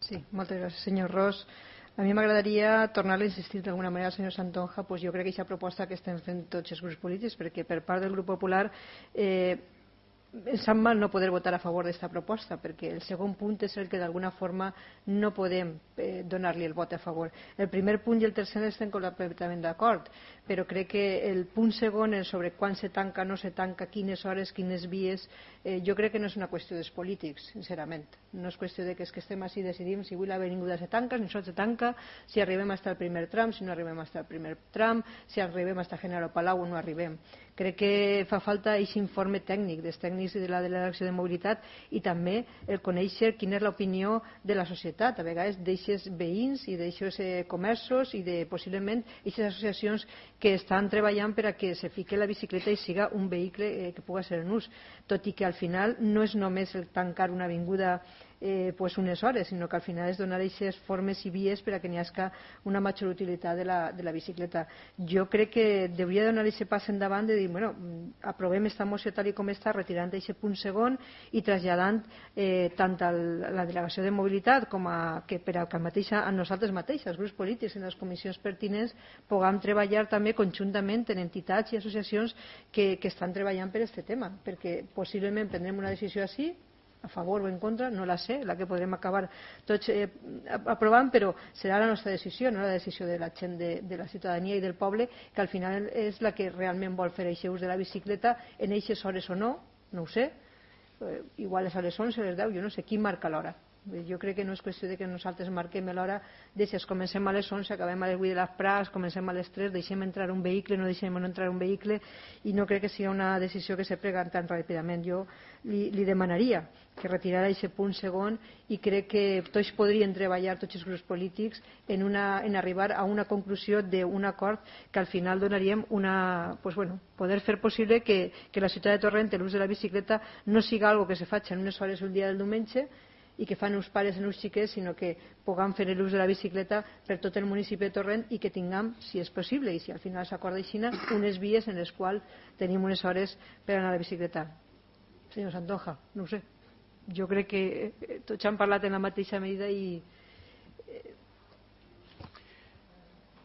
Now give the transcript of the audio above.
Sí, moltes gràcies, senyor Ros. A mi m'agradaria tornar a insistir d'alguna manera al senyor Santonja. Pues jo crec que aquesta proposta que estem fent tots els grups polítics, perquè per part del grup popular em sap mal no poder votar a favor d'aquesta proposta, perquè el segon punt és el que d'alguna forma no podem donar-li el vot a favor. El primer punt i el tercer estem completament d'acord, però crec que el punt segon, el sobre quan se tanca, no se tanca, quines hores, quines vies, jo crec que no és una qüestió dels polítics, sincerament. No és qüestió de que estem així i decidim si avui l'avinguda se tanca, si no se tanca, si arribem fins al primer tram, si no arribem fins al primer tram, si arribem fins a General Palau o no arribem. Crec que fa falta aquest informe tècnic dels tècnics de la delegació de mobilitat i també el conèixer quina és l'opinió de la societat, a vegades d'eixes veïns i d'eixos comerços i de possiblement aquestes associacions que estan treballant per a que se fique la bicicleta i siga un vehicle que pugui ser en ús, tot i que al final no és només el tancar una avinguda pues unes hores, sinó que al final és donar aquestes formes i vies per a que n'hi hagi una major utilitat de la bicicleta. Jo crec que hauria de donar aquest pas endavant de dir, bueno, aprovem aquesta moció tal com està, retirant aquest punt segon i traslladant tant a la delegació de mobilitat com que per a nosaltres mateixos, els grups polítics i les comissions pertinents, puguem treballar també conjuntament en entitats i associacions que estan treballant per aquest tema, perquè possiblement prendrem una decisió així, a favor o en contra, no la sé, la que podrem acabar tots aprovant, però serà la nostra decisió, no la decisió de la gent, de la ciutadania i del poble, que al final és la que realment vol fer aquest ús de la bicicleta en aquestes hores o no, no ho sé, igual és a les 11, a les 10, jo no sé, qui marca l'hora? Jo crec que no és qüestió de que nosaltres marquem l'hora de si comencem a les 11, acabem a les 8 de les Prats, comencem a les 3, deixem entrar un vehicle, no deixem no entrar un vehicle, i no crec que sigui una decisió que se prega tan ràpidament. Jo li demanaria que retirara aquest punt segon i crec que tots podrien treballar, tots els grups polítics, en arribar a una conclusió d'un acord que al final donaríem poder fer possible que la ciutat de Torrent l'ús de la bicicleta no siga algo que se faci en unes hores un dia del diumenge i que fan uns pares i uns xiquets, sinó que puguem fer l'ús de la bicicleta per tot el municipi de Torrent i que tinguem, si és possible i si al final s'acorda així, unes vies en les quals tenim unes hores per anar a la bicicleta. Senyor Santonja, no ho sé. Jo crec que tots han parlat en la mateixa medida i